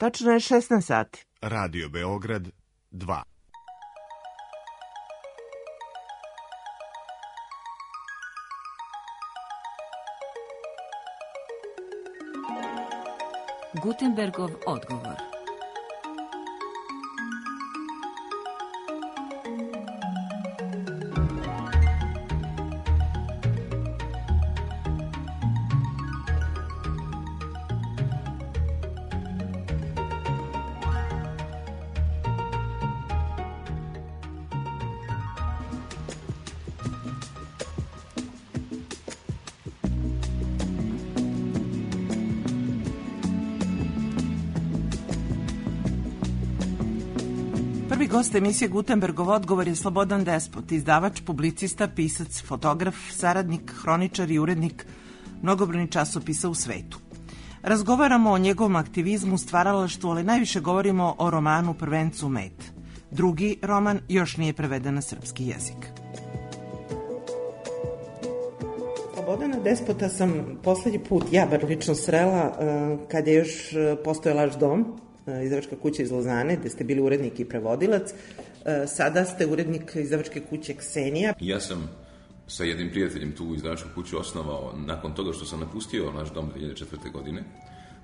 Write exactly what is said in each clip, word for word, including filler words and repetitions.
Tačno je šesnaest sati. Radio Beograd dva. Gutenbergov odgovor. Prvi gost emisije Gutenbergov odgovor je Slobodan Despot, izdavač, publicista, pisac, fotograf, saradnik, hroničar i urednik mnogobrojnih časopisa u svetu. Razgovaramo o njegovom aktivizmu, stvaralaštvu, ali najviše govorimo o romanu Prvencu Met. Drugi roman još nije preveden na srpski jezik. Slobodana Despota sam poslednji put, ja bar lično srela, kad je još postojao Laš dom, izdavačka kuća iz Lozane, gde ste bili urednik i prevodilac. Sada ste urednik izdavačke kuće Ksenija. Ja sam sa jednim prijateljem tu izdavačku kuću osnovao nakon toga što sam napustio naš dom dve hiljade četvrte. godine,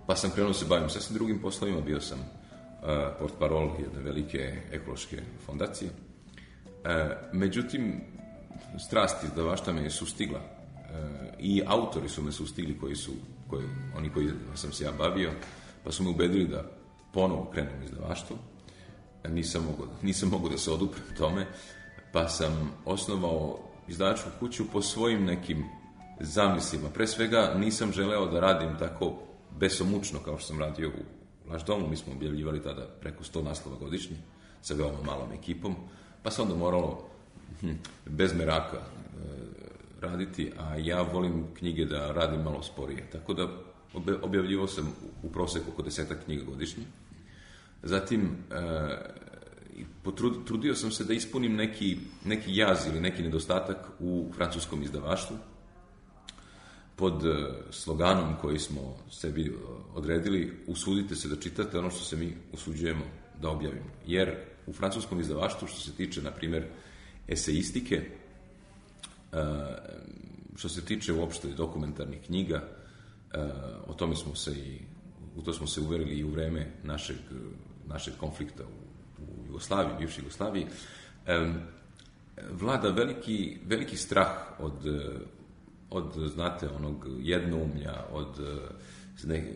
pa sam krenuo se bavim sasvim drugim poslovima. Bio sam uh, portparol jedne velike ekološke fondacije. Uh, međutim, strasti izdavaštva me je sustigla uh, i autori su me sustigli koji su, koji, oni koji sam se ja bavio, pa su me ubedili da ponovo krenem izdavaštvo. Nisam mogao, nisam mogao da se oduprem tome, pa sam osnovao izdavačku kuću po svojim nekim zamislima. Pre svega nisam želeo da radim tako besomučno kao što sam radio u Laš domu. Mi smo objavljivali tada preko sto naslova godišnje sa veoma malom ekipom, pa se onda moralo hm, bez meraka e, raditi, a ja volim knjige da radim malo sporije. Tako da objavljivao sam u proseku oko desetak knjiga godišnje. Zatim, e, potrud, trudio sam se da ispunim neki, neki jaz ili neki nedostatak u francuskom izdavaštvu pod e, sloganom koji smo sebi odredili: usudite se da čitate ono što se mi usuđujemo da objavimo. Jer u francuskom izdavaštvu, što se tiče, na primjer, eseistike, e, što se tiče uopšte dokumentarnih knjiga, Uh, o tome smo se i u to smo se uverili i u vreme našeg, našeg konflikta u, u Jugoslaviji, bivšoj Jugoslaviji. Um, vlada veliki, veliki strah od, od, znate, onog jednoumlja, od,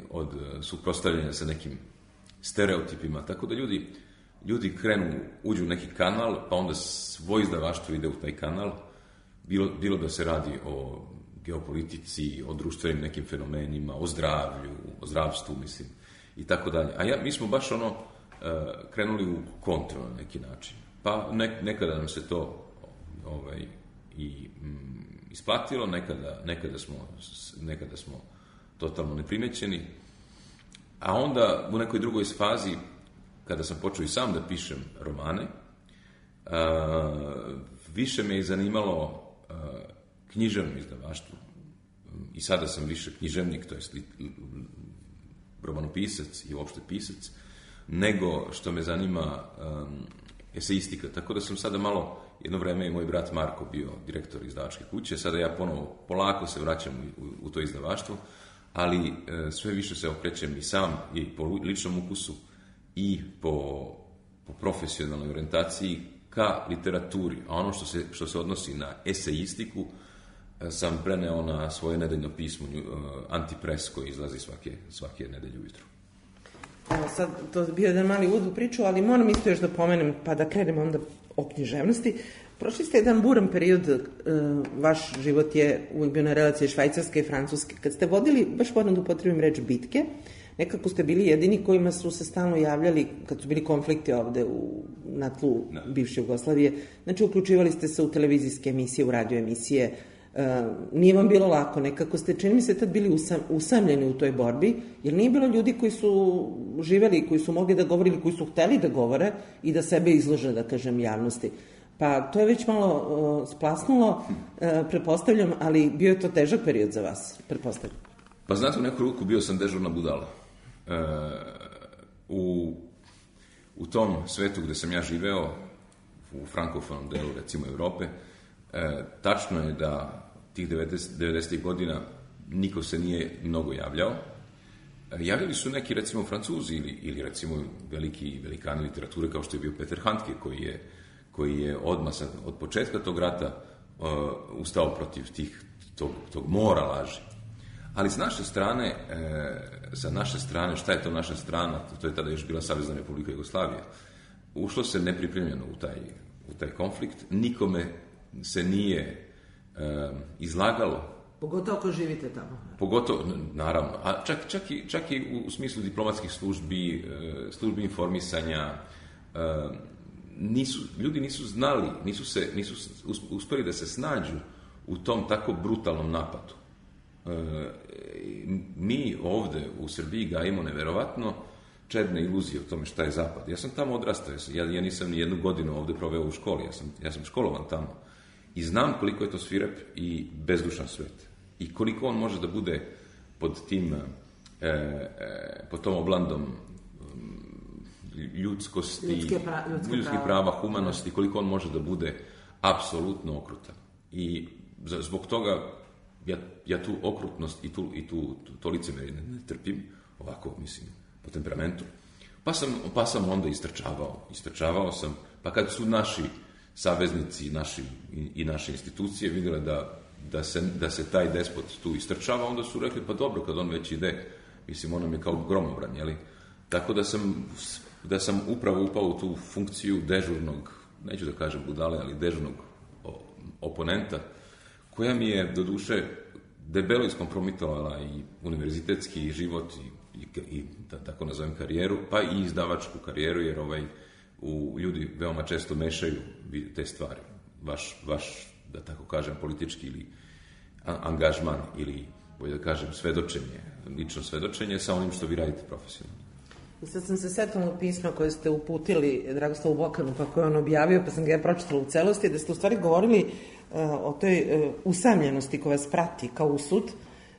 od suprotstavljanja sa nekim stereotipima, tako da ljudi, ljudi krenu, uđu u neki kanal, pa onda svoj izdavaštvo ide u taj kanal, bilo, bilo da se radi o geopolitici, o društvenim nekim fenomenima, o zdravlju, o zdravstvu, mislim, i tako dalje. A ja, mi smo baš ono uh, krenuli u kontru na neki način. Pa ne, nekada nam se to ovaj, i mm, isplatilo, nekada, nekada, smo, nekada smo totalno neprimećeni. A onda u nekoj drugoj fazi, kada sam počeo i sam da pišem romane, uh, više me je zanimalo uh, književno izdavaštvo. I sada sam više književnik, to jest romanopisac i uopšte pisac, nego što me zanima um, eseistika. Tako da sam sada malo, jedno vreme je moj brat Marko bio direktor izdavačke kuće, sada ja ponovo polako se vraćam u, u, u to izdavaštvo, ali e, sve više se okrećem i sam i po ličnom ukusu i po, po profesionalnoj orijentaciji ka literaturi. A ono što se, što se odnosi na eseistiku sam preneo na svoje nedeljno pismo uh, Antipres, koji izlazi svake, svake nedelje ujutru. Evo sad, to je bio jedan mali uvod u priču, ali moram isto još da pomenem, pa da krenemo onda o književnosti. Prošli ste jedan buran period, uh, vaš život je uvijek bio na relaciji Švajcarske i Francuske. Kad ste vodili, baš moram da upotrebim reč, bitke, nekako ste bili jedini kojima su se stalno javljali, kad su bili konflikti ovde u, na tlu no. bivše Jugoslavije, znači uključivali ste se u televizijske emisije, u radio emisije. Uh, nije vam bilo lako, nekako ste, čini mi se, tad bili usam, usamljeni u toj borbi, jer nije bilo ljudi koji su živeli, koji su mogli da govore ili koji su hteli da govore i da sebe izlože, da kažem, javnosti. Pa to je već malo uh, splasnulo, uh, pretpostavljam, ali bio je to težak period za vas, pretpostavljam. Pa znate, u neku ruku bio sam dežurna budala. Uh, u tom svetu gdje sam ja živeo, u frankofonom delu, recimo, Europe, e, tačno je da tih devedesetih godina niko se nije mnogo javljao. E, javljali su neki, recimo, Francuzi ili, ili recimo, veliki velikani literature, kao što je bio Peter Handke, koji je, koji je odmah sad, od početka tog rata uh, ustao protiv tih, tog, tog mora laži. Ali s naše strane, e, sa naše strane, šta je to naša strana? To je tada još bila Savezna Republika Jugoslavija. Ušlo se nepripremljeno u taj, u taj konflikt. Nikome se nije e, izlagalo. Pogotovo ako živite tamo. Pogotovo, naravno. A čak, čak, i, čak i u smislu diplomatskih službi, e, službi informisanja, e, nisu, ljudi nisu znali, nisu, se, nisu uspjeli da se snađu u tom tako brutalnom napadu. E, mi ovdje u Srbiji gajimo neverovatno čedne iluzije o tome šta je zapad. Ja sam tamo odrastao, ja, ja nisam ni jednu godinu ovdje proveo u školi, ja sam, ja sam školovan tamo i znam koliko je to svirep i bezdušan svet i koliko on može da bude pod tim e, e, pod tom oblandom ljudskosti, ljudske pra, ljudske ljudskih prava. prava, humanosti, koliko on može da bude apsolutno okrutan. I zbog toga ja, ja tu okrutnost i tu, i tu to, to licemerje ne, ne trpim, ovako, mislim, po temperamentu. Pa sam, pa sam onda istrčavao. Istrčavao sam, pa kad su naši saveznici naši, i, i naše institucije vidjele da, da, se, da se taj despot tu istrčava, onda su rekli, pa dobro, kad on već ide, mislim, on nam je kao gromobran, jeli? Tako da sam, da sam upravo upao u tu funkciju dežurnog, neću da kažem budale, ali dežurnog oponenta, koja mi je, doduše, debelo iskompromitovala i univerzitetski život i, i, i da tako nazovem karijeru, pa i izdavačku karijeru, jer ovaj, u, ljudi veoma često mešaju te stvari. Vaš, vaš, da tako kažem, politički ili angažman ili, bolje da kažem, svedočenje, lično svedočenje sa onim što vi radite profesionalno. I sad sam se setila pisma koje ste uputili Dragoslavu Bokanu, pa koje on objavio, pa sam ga ja pročitala u celosti, da ste u stvari govorili uh, o toj uh, usamljenosti koja vas prati kao usud.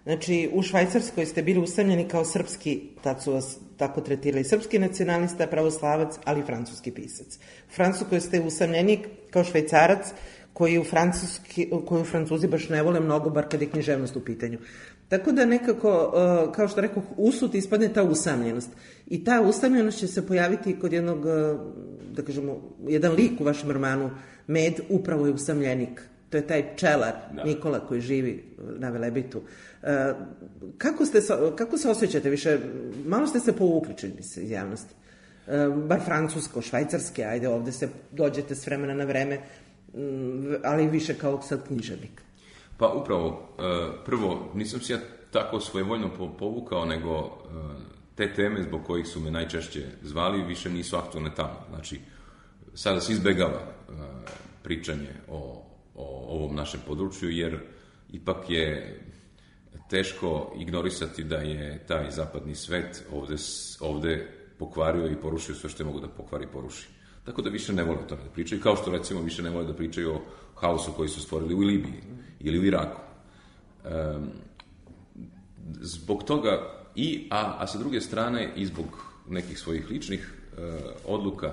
Znači, u Švajcarskoj ste bili usamljeni kao srpski, tad su vas tako tretirali, srpski nacionalista, pravoslavac, ali i francuski pisac. U Francuskoj ste usamljeni kao Švajcarac, koji u, francuski, koju Francuzi baš ne vole mnogo, bar kad je književnost u pitanju. Tako da nekako, kao što rekao, usud ispadne ta usamljenost. I ta usamljenost će se pojaviti kod jednog, da kažemo, jedan lik u vašem romanu, Med, upravo je usamljenik. To je taj pčelar, da. Nikola, koji živi na Velebitu. Kako, ste, kako se osjećate više? Malo ste se povukli, čini mi se, iz javnosti. Bar francusko, švajcarske, ajde, ovde se dođete s vremena na vreme, ali više kao sad književnik. Pa upravo, prvo, nisam se ja tako svojevoljno povukao, nego te teme zbog kojih su me najčešće zvali više nisu aktualne tamo. Znači, sada se izbegava pričanje o, o ovom našem području, jer ipak je teško ignorisati da je taj zapadni svet ovde, ovde pokvario i porušio sve što je mogu da pokvari i poruši. Tako da više ne vole o tome da pričaju, kao što recimo više ne vole da pričaju o haosu koji su stvorili u Libiji ili u Iraku. Um, zbog toga, i, a, a sa druge strane i zbog nekih svojih ličnih uh, odluka,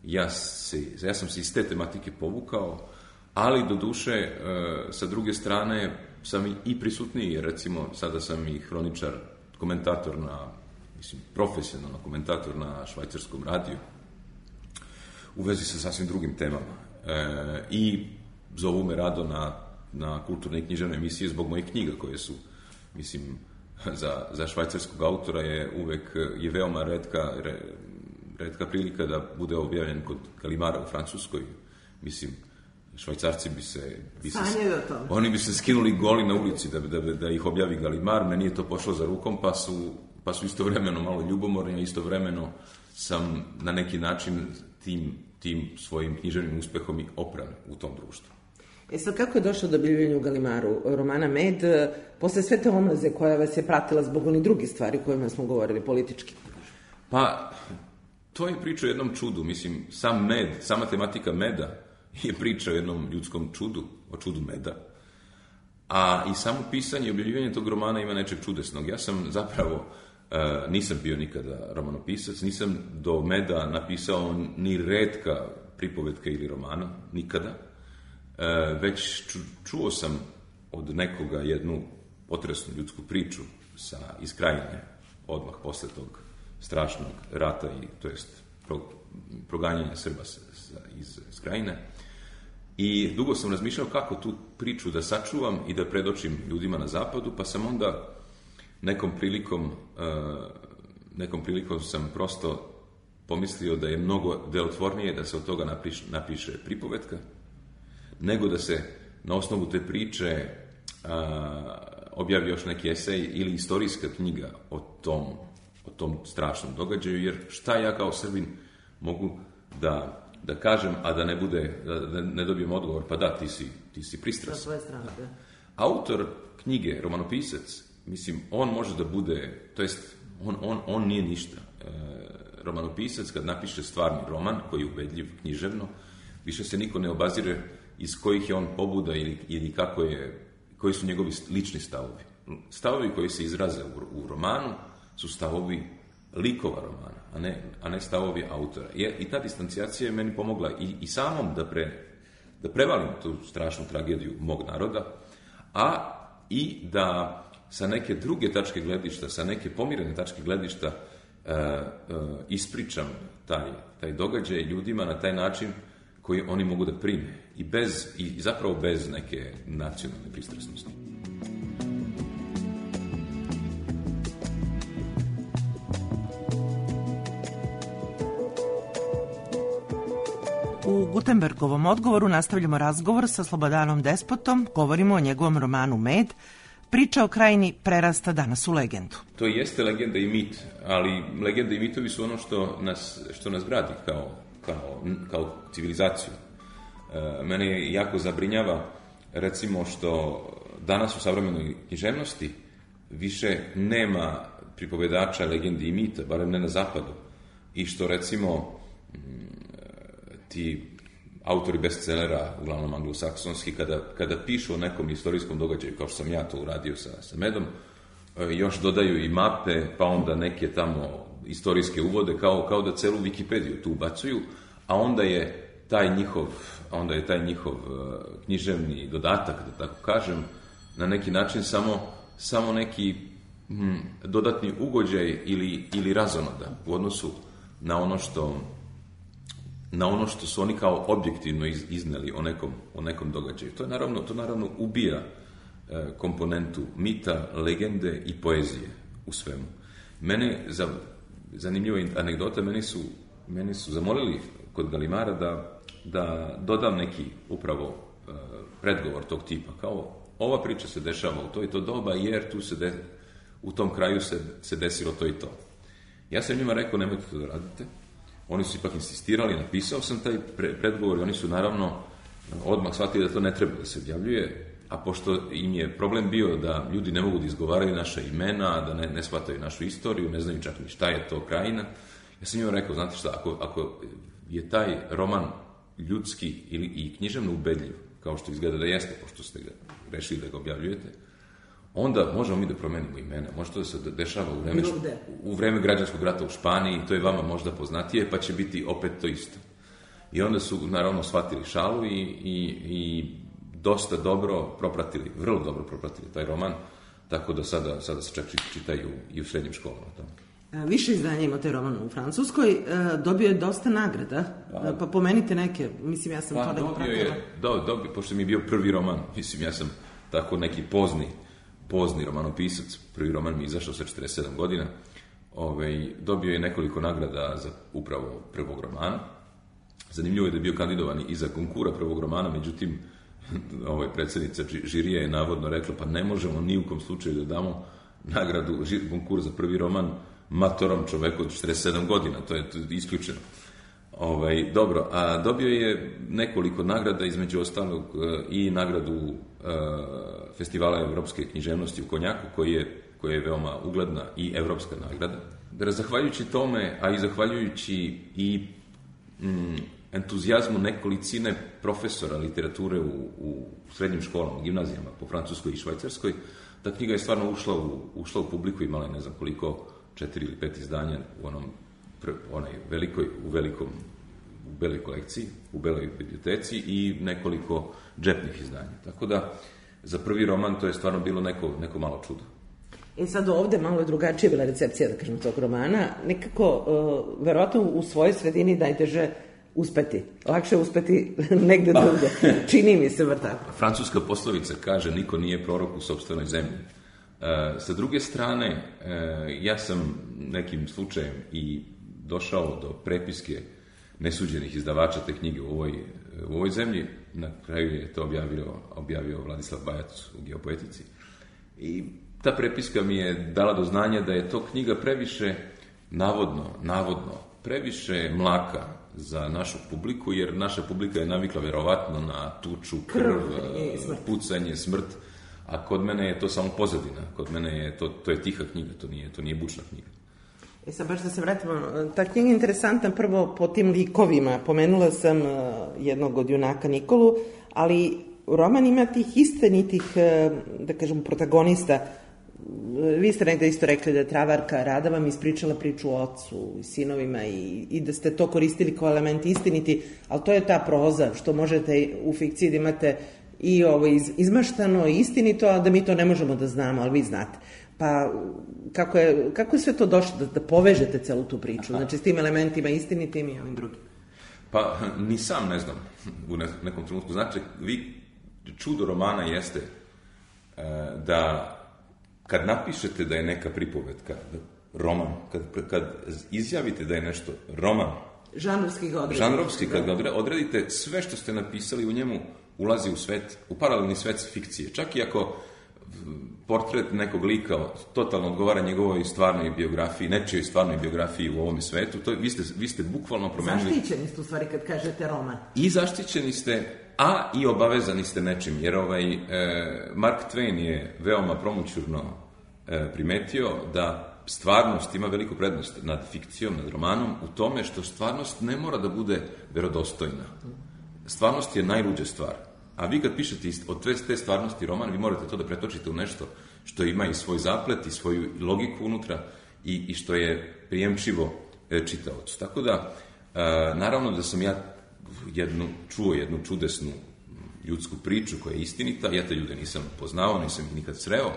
ja, se, ja sam se iz te tematike povukao, ali do duše, uh, sa druge strane, sam i prisutniji, jer recimo sada sam i hroničar, komentator na, mislim, profesionalno komentator na švajcarskom radiju, u vezi sa sasvim drugim temama. E, I zovu me rado na, na kulturne i književne emisije zbog mojih knjiga koje su, mislim, za, za švajcarskog autora je uvek, je veoma redka, re, redka prilika da bude objavljen kod Galimara u Francuskoj. Mislim, Švajcarci bi se... Bi se oni bi se skinuli goli na ulici da, da, da ih objavi Galimar, meni je to pošlo za rukom, pa su, pa su istovremeno malo ljubomorni, a istovremeno sam na neki način tim, tim svojim književnim uspehom i opran u tom društvu. E sad, kako je došlo do objavljivanja u Galimaru romana Med, posle sve te omlaze koja vas je pratila zbog onih drugih stvari o kojima smo govorili, politički? Pa, to je priča o jednom čudu. Mislim, sam med, sama tematika meda je priča o jednom ljudskom čudu, o čudu meda. A i samo pisanje i objavljivanje tog romana ima nečeg čudesnog. Ja sam zapravo Uh, nisam bio nikada romanopisac, nisam do meda napisao ni retka pripovetka ili romana, nikada. Uh, već ču, čuo sam od nekoga jednu potresnu ljudsku priču sa iz Krajine, odmah posle tog strašnog rata i to jest pro, proganjanja Srba sa, sa, iz, iz Krajine. I dugo sam razmišljao kako tu priču da sačuvam i da predočim ljudima na zapadu, pa sam onda nekom prilikom, uh, nekom prilikom sam prosto pomislio da je mnogo delotvornije da se od toga napiše, napiše pripovetka, nego da se na osnovu te priče uh, objavi još neki esej ili istorijska knjiga o tom, o tom strašnom događaju, jer šta ja kao Srbin mogu da da kažem, a da ne bude, da ne dobijem odgovor, pa da, ti si, ti si pristrasan. Sa svoje strane, da. Autor knjige, romanopisac, mislim, on može da bude, to jest, on, on, on nije ništa. E, romanopisac, kad napiše stvarni roman, koji je ubedljiv književno, više se niko ne obazire iz kojih je on pobuda ili, ili kako je, koji su njegovi lični stavovi. Stavovi koji se izraze u, u romanu su stavovi likova romana, a ne, a ne stavovi autora. Je, i ta distancijacija je meni pomogla i, i samom da, pre, da prevalim tu strašnu tragediju mog naroda, a i da sa neke druge tačke gledišta, sa neke pomirene tačke gledišta uh, uh, ispričam taj, taj događaj ljudima na taj način koji oni mogu da prime i, bez, i zapravo bez neke nacionalne pristrasnosti. U Gutenbergovom odgovoru nastavljamo razgovor sa Slobodanom Despotom, govorimo o njegovom romanu Med. Priča o Krajini prerasta danas u legendu. To jeste legenda i mit, ali legenda i mitovi su ono što nas, što nas gradi kao, kao, kao civilizaciju. E, mene jako zabrinjava, recimo, što danas u savremenoj književnosti više nema pripovedača legendi i mita, barem ne na zapadu, i što, recimo, ti autori bestsellera, uglavnom anglosaksonski, kada, kada pišu o nekom istorijskom događaju, kao što sam ja to uradio sa, sa Medom, još dodaju i mape, pa onda neke tamo istorijske uvode, kao, kao da celu Wikipediju tu ubacuju, a onda je taj njihov, a onda je taj njihov književni dodatak, da tako kažem, na neki način samo, samo neki hm, dodatni ugođaj ili, ili razonoda u odnosu na ono što na ono što su oni kao objektivno iz, izneli o nekom, o nekom događaju. To je naravno, to naravno ubija e, komponentu mita, legende i poezije u svemu. Mene, za, zanimljiva anegdota, meni su, meni su zamolili kod Galimara da, da dodam neki upravo e, predgovor tog tipa, kao ova priča se dešava u to i to doba, jer tu se de, u tom kraju se, se desilo to i to. Ja sam njima rekao, nemojte to da radite. Oni su ipak insistirali, napisao sam taj pre, predgovor i oni su naravno odmah shvatili da to ne treba da se objavljuje, a pošto im je problem bio da ljudi ne mogu da izgovaraju naša imena, da ne, ne shvataju našu istoriju, ne znaju čak ni šta je to Krajina, ja sam njima rekao, znate šta, ako, ako je taj roman ljudski ili i književno ubedljiv, kao što izgleda da jeste, pošto ste ga rešili da ga objavljujete, onda možemo mi da promenimo imena. Može to da se dešava u vreme, u vreme građanskog rata u Španiji, to je vama možda poznatije, pa će biti opet to isto. I onda su, naravno, shvatili šalu i, i, i dosta dobro propratili, vrlo dobro propratili taj roman, tako da sada, sada se čak čitaju i u srednjim školama. Više izdanja ima taj roman u Francuskoj, dobio je dosta nagrada, pa, pa pomenite neke, mislim, ja sam pa, to neko dobio je, do, dobio, pošto mi je bio prvi roman, mislim, ja sam tako neki pozni pozni romanopisac, prvi roman mi je izašao sa četrdeset sedam godina, ovaj, dobio je nekoliko nagrada za upravo prvog romana. Zanimljivo je da je bio kandidovan i za konkura prvog romana, međutim, ovaj, predsjednica žirija je navodno rekla, pa ne možemo ni u kom slučaju da damo nagradu, konkura za prvi roman matorom čoveku od četrdeset sedam godina, to je, to je isključeno. Ovaj, dobro, a dobio je nekoliko nagrada, između ostalog i nagradu uh, Festivala evropske književnosti u Konjaku, koji je, koji je veoma ugledna i evropska nagrada. Da, zahvaljujući tome, a i zahvaljujući i mm, entuzijazmu nekolicine profesora literature u, u srednjim školama, gimnazijama po Francuskoj i Švajcarskoj, ta knjiga je stvarno ušla u, ušla u publiku, imala je ne znam koliko četiri ili pet izdanja u onom onaj velikoj, u velikom u beloj kolekciji, u beloj biblioteci i nekoliko džepnih izdanja. Tako da, za prvi roman to je stvarno bilo neko, neko malo čudo. I sad ovde malo je drugačija bila recepcija, da kažem, tog romana. Nekako, uh, verovatno u svojoj sredini najteže uspeti. Lakše uspeti negde pa. drugde. Čini mi se bar tako. Francuska poslovica kaže niko nije prorok u sopstvenoj zemlji. Uh, sa druge strane, uh, ja sam nekim slučajem i došao do prepiske nesuđenih izdavača te knjige u ovoj, u ovoj zemlji. Na kraju je to objavio, objavio Vladislav Bajac u Geopoetici. I ta prepiska mi je dala do znanja da je to knjiga previše, navodno, navodno, previše mlaka za našu publiku, jer naša publika je navikla verovatno na tuču, krv, krv pucanje, smrt, a kod mene je to samo pozadina. Kod mene je to, to je tiha knjiga, to nije, to nije bučna knjiga. E sad baš da se vratimo, ta knjiga je interesantna prvo po tim likovima. Pomenula sam jednog od junaka Nikolu, ali roman ima tih istinitih, da kažem, protagonista. Vi ste negde isto rekli da je Travarka Rada vam ispričala priču o ocu i sinovima i, i da ste to koristili kao element istiniti, ali to je ta proza što možete u fikciji da imate i ovo iz, izmaštano i istinito, a da mi to ne možemo da znamo, ali vi znate. Pa kako je, kako je sve to došlo da, da povežete celu tu priču, znači s tim elementima istinitim i ovim drugim? Pa ni sam ne znam u nekom trenutku. Znači, vi, čudo romana jeste e, da kad napišete da je neka pripovetka, da, roman, kad, kad izjavite da je nešto roman, žanrovski ga odredite. Žanrovski, kad ga odredite, sve što ste napisali u njemu ulazi u svet, u paralelni svet fikcije. Čak i ako portret nekog lika totalno odgovara njegovoj stvarnoj biografiji, nečijoj stvarnoj biografiji u ovome svetu, to, vi, ste, vi ste bukvalno promenili... Zaštićeni ste u stvari kad kažete roman. I zaštićeni ste, a i obavezani ste nečim, jer ovaj, e, Mark Twain je veoma promućurno e, primetio da stvarnost ima veliku prednost nad fikcijom, nad romanom, u tome što stvarnost ne mora da bude verodostojna. Stvarnost je najluđa stvar. A vi kad pišete od te stvarnosti roman, vi morate to da pretočite u nešto što ima i svoj zaplet i svoju logiku unutra i, i što je prijemčivo e, čitaocu. Tako da, e, naravno da sam ja jednu, čuo jednu čudesnu ljudsku priču koja je istinita, ja te ljude nisam poznao, nisam ih nikad sreo,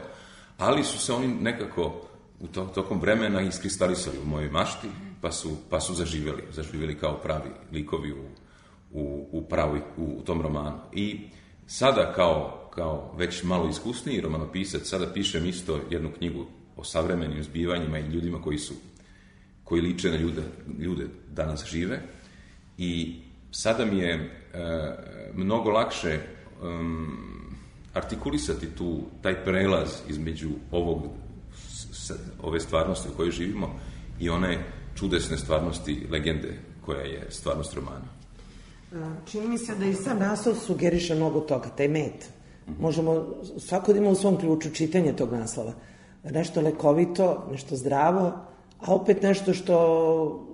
ali su se oni nekako u to, tokom vremena iskristalisali u mojoj mašti, pa su, pa su zaživjeli, zaživjeli kao pravi likovi u U, u, pravi, u, u tom romanu. I sada kao, kao već malo iskusniji romanopisac, sada pišem isto jednu knjigu o savremenim zbivanjima i ljudima koji su, koji liče na ljude, ljude danas žive. I sada mi je e, mnogo lakše um, artikulisati tu, taj prelaz između ovog, s, ove stvarnosti u kojoj živimo i one čudesne stvarnosti, legende koja je stvarnost romana. Čini mi se da i sam naslov sugeriše mnogo toga, taj med. Možemo svako da ima u svom ključu čitanje tog naslova. Nešto lekovito, nešto zdravo, a opet nešto što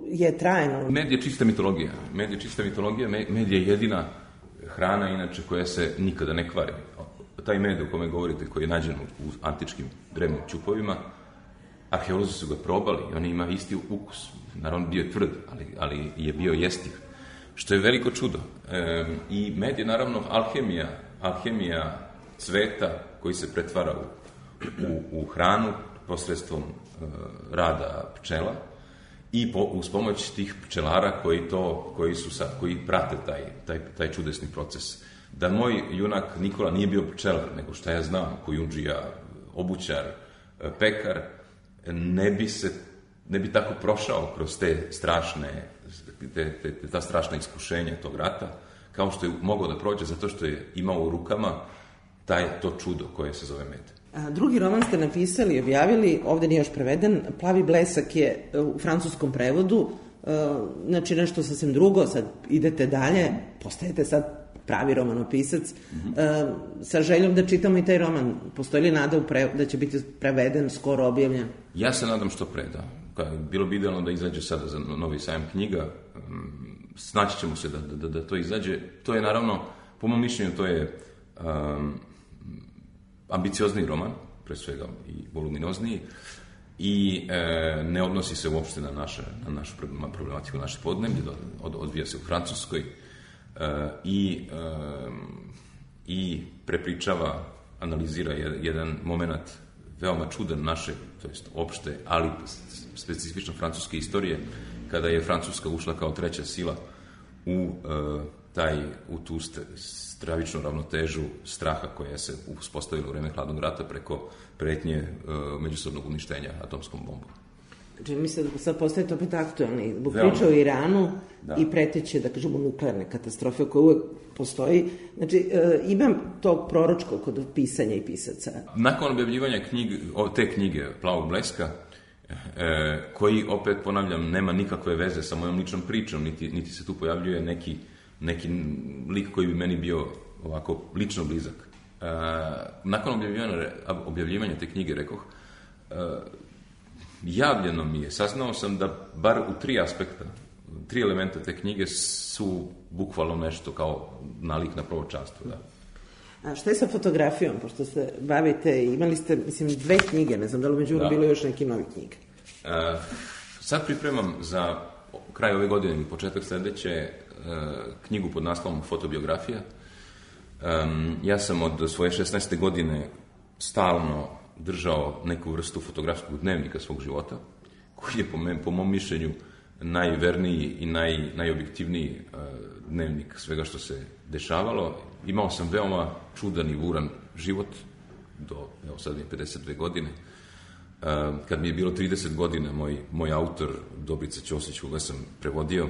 je trajno. Med je čista mitologija. Med je čista mitologija, med je jedina hrana, inače, koja se nikada ne kvari. Taj med o kome govorite, koji je nađen u antičkim drevnim ćupovima, arheolozi su ga probali i on ima isti ukus. Naravno, bio je tvrd, ali, ali je bio jestiv. Što je veliko čudo. E, I med je naravno alhemija, alhemija cveta koji se pretvara u, u, u hranu posredstvom e, rada pčela i po, uz pomoć tih pčelara koji, to, koji, su sad, koji prate taj, taj, taj čudesni proces. Da moj junak Nikola nije bio pčelar, nego šta ja znam, kojundžija, obućar, pekar, ne bi se ne bi tako prošao kroz te strašne Te, te, te, ta strašna iskušenja tog rata, kao što je mogao da prođe zato što je imao u rukama taj, to čudo koje se zove med. A, drugi roman ste napisali i objavili, ovde nije još preveden, Plavi blesak je u francuskom prevodu, a, znači nešto sasvim drugo, sad idete dalje, postajete sad pravi romanopisac, mm-hmm. a, sa željom da čitamo i taj roman. Postoji li nada u pre, da će biti preveden, skoro objavljen? Ja se nadam što pre, da. Bilo bi idealno da izađe sada za novi sajam knjiga, snaći ćemo se da, da, da to izađe. To je naravno, po mom mišljenju, to je um, ambiciozni roman, pre svega i voluminozniji, i e, ne odnosi se uopšte na, naše, na našu problematiku, naše podneblje, od, odvija se u Francuskoj e, i, e, i prepričava, analizira jedan moment veoma čudan naše, to jest opšte, ali specifično francuske istorije, kada je Francuska ušla kao treća sila u e, taj, u tu stravičnu ravnotežu straha koja se uspostavila u vreme hladnog rata preko pretnje e, međusobnog uništenja atomskom bombom. Znači, mislim da sad postajete opet aktualni. Zbog priča o Iranu da. I preteće, da kažemo, nuklearne katastrofe koja uvek postoji. Znači, e, imam tog proročkog kod pisanja i pisaca. Nakon objavljivanja knjig, te knjige Plavog bleska, e, koji, opet ponavljam, nema nikakve veze sa mojom ličnom pričom, niti, niti se tu pojavljuje neki, neki lik koji bi meni bio ovako lično blizak. E, nakon objavljivanja, objavljivanja te knjige, rekoh, e, javljeno mi je, saznao sam da bar u tri aspekta, tri elementa te knjige su bukvalno nešto kao nalik na proročanstvo, da. A šta je sa fotografijom, pošto se bavite, imali ste, mislim, dve knjige, ne znam da li među da. Bilo još neke nove knjige? E, sad pripremam za kraj ove godine i početak sledeće e, knjigu pod naslovom Fotobiografija. E, ja sam od svoje šesnaeste godine stalno držao neku vrstu fotografskog dnevnika svog života, koji je po, me, po mom mišljenju najverniji i naj, najobjektivniji uh, dnevnik svega što se dešavalo. Imao sam veoma čudan i buran život do, evo sad je pedeset dve godine. Uh, kad mi je bilo trideset godina, moj, moj autor, Dobrica Ćosić, koga sam prevodio,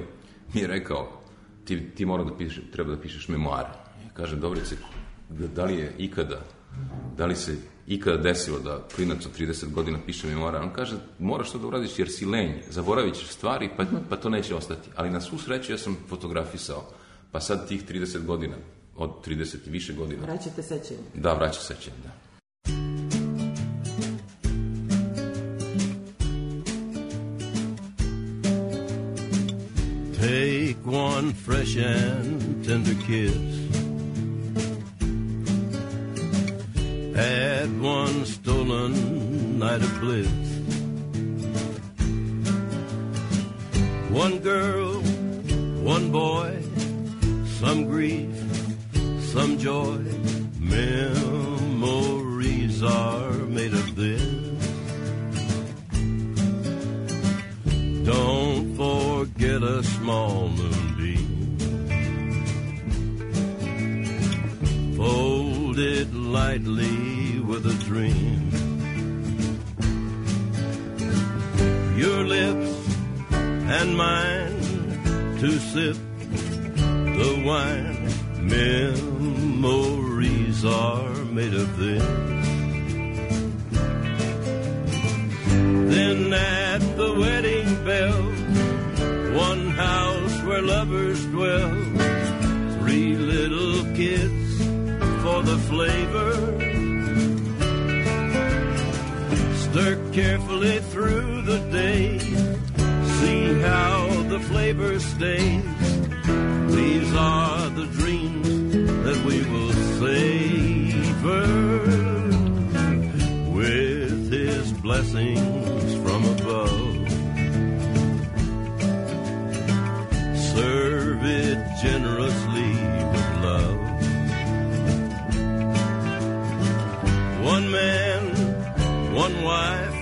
mi je rekao, ti, ti mora da piše, treba da pišeš memoare. Ja kažem, Dobrice, da, da li je ikada, da li se ikada desilo da klinac od trideset godina piše memoare? On kaže, moraš to da uradiš jer si lenj, zaboravit ćeš stvari, pa, pa to neće ostati. Ali na svu sreću ja sam fotografisao, pa sad tih trideset godina, od trideset i više godina. Vraćate sećanje. Da, vraća sećanje, da. Take one fresh and tender kiss, had one stolen night of bliss. One girl, one boy, some grief, some joy. Memories are made of this. Don't forget a small moonbeam, fold it lightly with a dream. Your lips and mine to sip the wine. Memories are made of this. Then at the wedding bell, one house where lovers dwell, three little kids for the flavor. Stir carefully through the day, see how the flavor stays. These are the dreams that we will savor, with His blessings from above. Serve it generously with love. One man, one wife,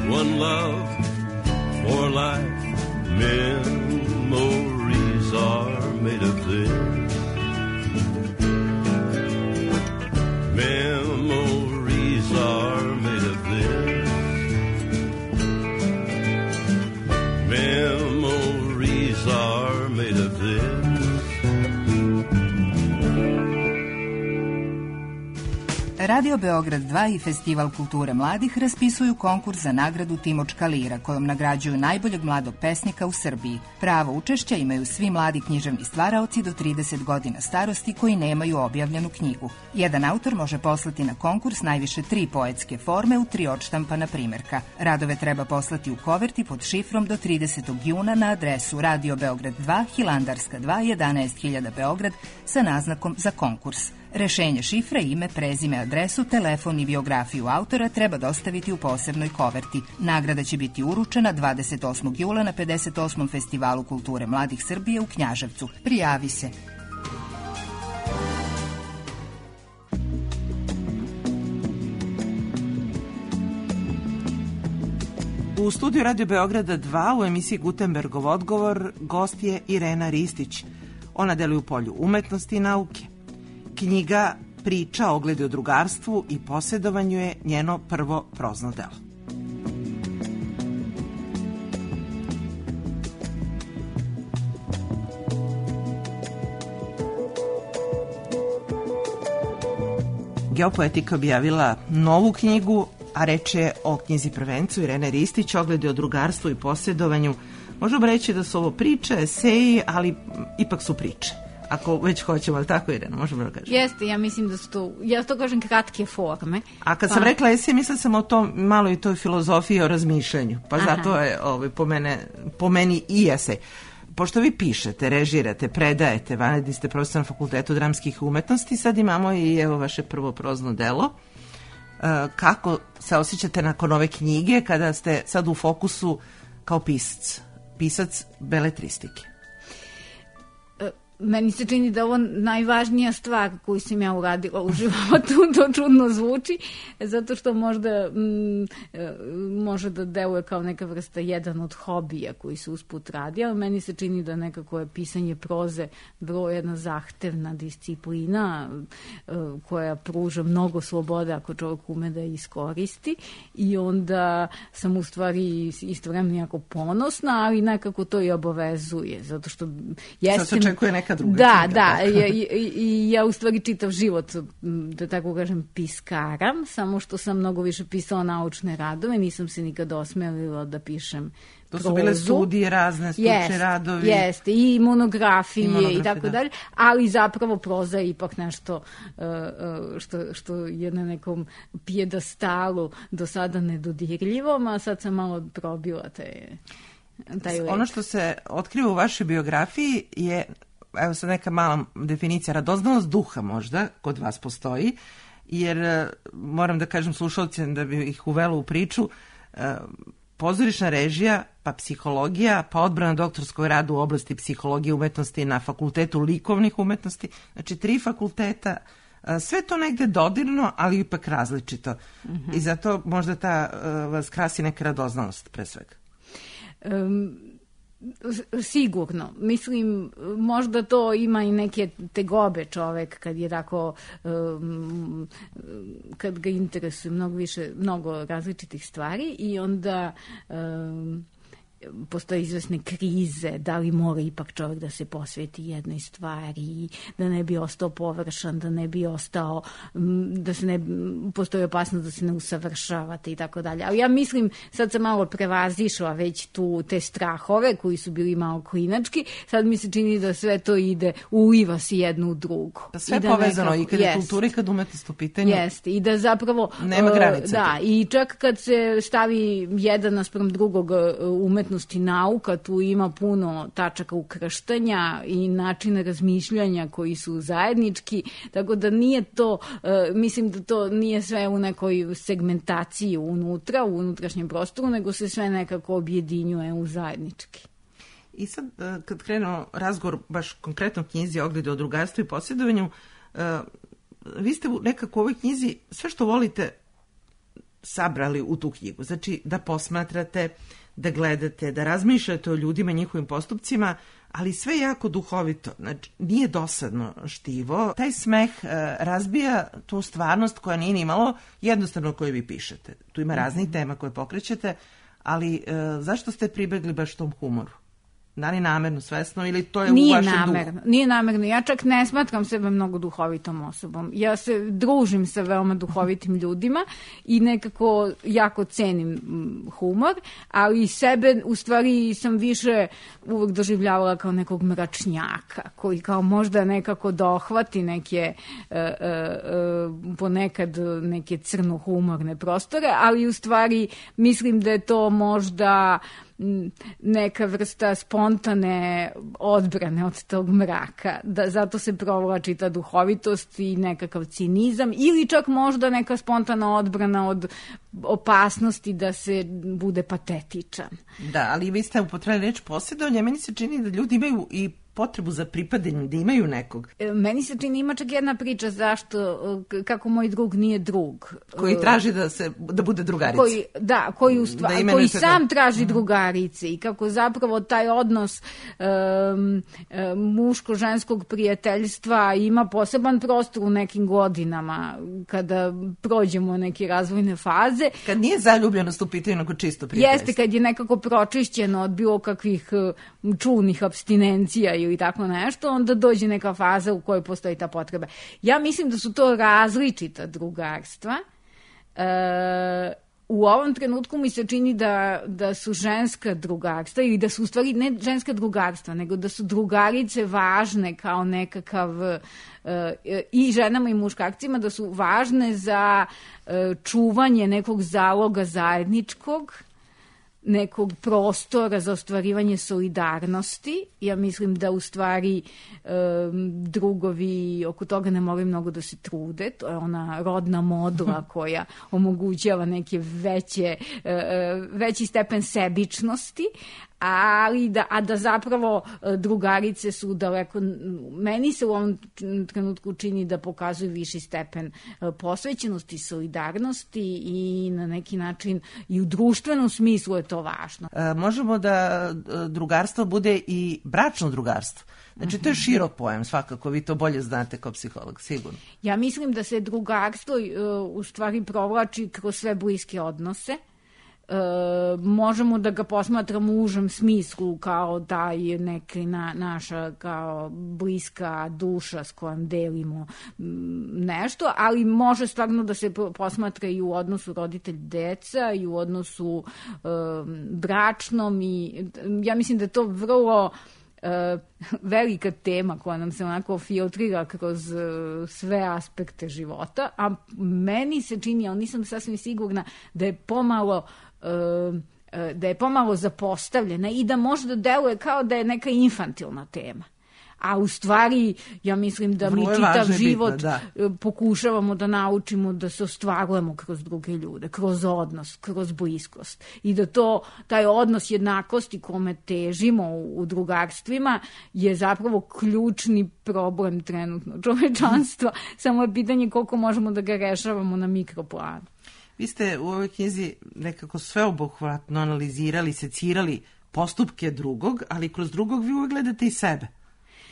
one love for life. Memories are made of this. Memories are made of this. Memories are made of this. Radio Beograd dva i Festival kulture mladih raspisuju konkurs za nagradu Timočka lira, kojom nagrađuju najboljeg mladog pesnika u Srbiji. Pravo učešća imaju svi mladi književni stvaraoci do trideset godina starosti koji nemaju objavljenu knjigu. Jedan autor može poslati na konkurs najviše tri poetske forme u tri odštampana primerka. Radove treba poslati u koverti pod šifrom do tridesetog juna na adresu Radio Beograd dva, Hilandarska dva, jedanaest hiljada Beograd sa naznakom za konkurs. Rešenje šifre, ime, prezime, adresu, telefon i biografiju autora treba dostaviti u posebnoj koverti. Nagrada će biti uručena dvadeset osmog jula na pedeset osmom Festivalu kulture mladih Srbije u Knjaževcu. Prijavi se. U studiju Radio Beograda dva u emisiji Gutenbergov odgovor gost je Irena Ristić. Ona deluje u polju umetnosti i nauke. Knjiga Priča, ogledi o drugarstvu i posjedovanju je njeno prvo prozno delo. Geopoetika objavila novu knjigu, a reč je o knjizi prvencu Irene Ristić, ogledi o drugarstvu i posjedovanju. Možemo reći da su ovo priče, eseji, ali ipak su priče. Ako već hoćemo, ali tako, Irena, možemo da kažemo. Jeste, ja mislim da su to, ja to kažem, kratke forme. A kad pa... sam rekla esej, mislila sam o tom malo i toj filozofiji o razmišljanju. Pa Aha. zato je ovaj, po, mene, po meni i esej. Pošto vi pišete, režirate, predajete, vanredni ste profesor na Fakultetu dramskih umetnosti, sad imamo i evo vaše prvo prozno delo. Kako se osjećate nakon ove knjige kada ste sad u fokusu kao pisac, pisac beletristike? Meni se čini da ovo najvažnija stvar koju sam ja uradila u životu, to čudno zvuči, zato što možda m, može da deluje kao neka vrsta jedan od hobija koji se usput radi, ali meni se čini da nekako je pisanje proze vrlo jedna zahtevna disciplina koja pruža mnogo slobode ako čovjek ume da je iskoristi, i onda sam u stvari istovremeno jako ponosna, ali nekako to i obavezuje, zato što jesam... Sad se očekuje neka druga da, knjiga, da, i, i, i ja u stvari čitav život, da tako kažem, piskaram, samo što sam mnogo više pisala naučne radove, nisam se nikada osmelila da pišem to prozu. Su bile studije, razne stručne jest, radovi. Jeste, i monografije i, monografije, i tako da. dalje, ali zapravo proza je ipak nešto uh, što, što je na nekom pijedastalu do sada nedodirljivom, a sad sam malo probila te, taj let. Ono što se otkriva u vašoj biografiji je, evo sad neka mala definicija, radoznalost duha možda kod vas postoji, jer moram da kažem slušalcima da bi ih uvelo u priču, pozorišna režija, pa psihologija, pa odbrana doktorskog rada u oblasti psihologije umetnosti na Fakultetu likovnih umetnosti, znači tri fakulteta, sve to negde dodirno, ali ipak različito. Mm-hmm. I zato možda ta vas krasi neka radoznalost pre svega. Um... Sigurno. Mislim, možda to ima i neke tegobe čovek kad je tako, um, kad ga interesuje mnogo više, mnogo različitih stvari, i onda um, postoje izvesne krize, da li mora ipak čovjek da se posveti jednoj stvari, da ne bi ostao površan, da ne bi ostao, da se ne, postoji opasnost da se ne usavršavate i tako dalje. Ali ja mislim, sad sam malo prevazišla već tu te strahove koji su bili malo klinački, sad mi se čini da sve to ide, uliva se jedno u drugo. Da sve I da povezano nekako, i kad je jest, kultura i kad umetnost u pitanju. Jeste, i da zapravo... Nema granice. Da, i čak kad se stavi jedan naspram drugog umetnosti i nauka, tu ima puno tačaka ukrštanja i načina razmišljanja koji su zajednički, tako da nije to, uh, mislim da to nije sve u nekoj segmentaciji unutra, u unutrašnjem prostoru, nego se sve nekako objedinjuje u zajednički. I sad, kad krenemo razgovor baš konkretno knjizi Ogledi o drugarstvu i posjedovanju, uh, vi ste nekako u ovoj knjizi sve što volite sabrali u tu knjigu. Znači, da posmatrate, da gledate, da razmišljate o ljudima, njihovim postupcima, ali sve jako duhovito. Znači, nije dosadno štivo. Taj smeh uh, razbija tu stvarnost koja nije nimalo jednostavno koju vi pišete. Tu ima raznih tema koje pokrećete, ali uh, zašto ste pribegli baš tom humoru? Da li namerno, svesno, ili to je nije u vašem namerno, duhu? Nije namerno. Ja čak ne smatram sebe mnogo duhovitom osobom. Ja se družim sa veoma duhovitim ljudima i nekako jako cenim humor, ali sebe u stvari sam više uvek doživljavala kao nekog mračnjaka, koji kao možda nekako dohvati neke uh, uh, ponekad neke crno-humorne prostore, ali u stvari mislim da je to možda neka vrsta spontane odbrane od tog mraka, da zato se provlači ta duhovitost i nekakav cinizam, ili čak možda neka spontana odbrana od opasnosti da se bude patetičan. Da, ali vi ste upotrebili reč posjedovanje, meni se čini da ljudi imaju i potrebu za pripadanjem, da imaju nekog. Meni se čini, ima čak jedna priča zašto, kako moj drug nije drug. Koji traži da se da bude drugarica. Koji, da, koji, ustva, da koji sam da... traži drugarice i kako zapravo taj odnos um, um, muško-ženskog prijateljstva ima poseban prostor u nekim godinama kada prođemo neke razvojne faze. Kad nije zaljubljenost u pitanju, nego čisto prijateljstvo. Jeste, kad je nekako pročišćeno od bilo kakvih čulnih abstinencija i tako nešto, onda dođe neka faza u kojoj postoji ta potreba. Ja mislim da su to različita drugarstva. E, u ovom trenutku mi se čini da, da su ženska drugarstva, ili da su u stvari ne ženska drugarstva, nego da su drugarice važne kao nekakav e, i ženama i muškarcima, da su važne za e, čuvanje nekog zaloga zajedničkog, nekog prostora za ostvarivanje solidarnosti. Ja mislim da u stvari um, drugovi oko toga ne moraju mnogo da se trude. To je ona rodna modula koja omogućava neke veće, uh, veći stepen sebičnosti, ali da, a da zapravo drugarice su daleko, meni se u ovom trenutku čini da pokazuju viši stepen posvećenosti, solidarnosti i na neki način i u društvenom smislu je to važno. E, možemo da drugarstvo bude i bračno drugarstvo. Znači, to je širok pojam, svakako, vi to bolje znate kao psiholog, sigurno. Ja mislim da se drugarstvo u stvari provlači kroz sve bliske odnose. E, možemo da ga posmatramo u užem smislu kao taj neki na, naša kao bliska duša s kojom delimo nešto, ali može stvarno da se posmatra i u odnosu roditelj-deca i u odnosu e, bračnom i ja mislim da je to vrlo Uh, velika tema koja nam se onako filtrira kroz uh, sve aspekte života, a meni se čini, ali nisam sasvim sigurna, da je pomalo uh, uh, da je pomalo zapostavljena i da možda deluje kao da je neka infantilna tema. A u stvari, ja mislim da mi čitav život bitno, da. pokušavamo da naučimo da se ostvarujemo kroz druge ljude, kroz odnos, kroz bliskost. I da to, taj odnos jednakosti kome težimo u, u drugarstvima je zapravo ključni problem trenutno čovečanstva. Samo je pitanje koliko možemo da ga rešavamo na mikroplanu. Vi ste u ovoj knjizi nekako sveobuhvatno analizirali, secirali postupke drugog, ali kroz drugog vi uvek gledate i sebe.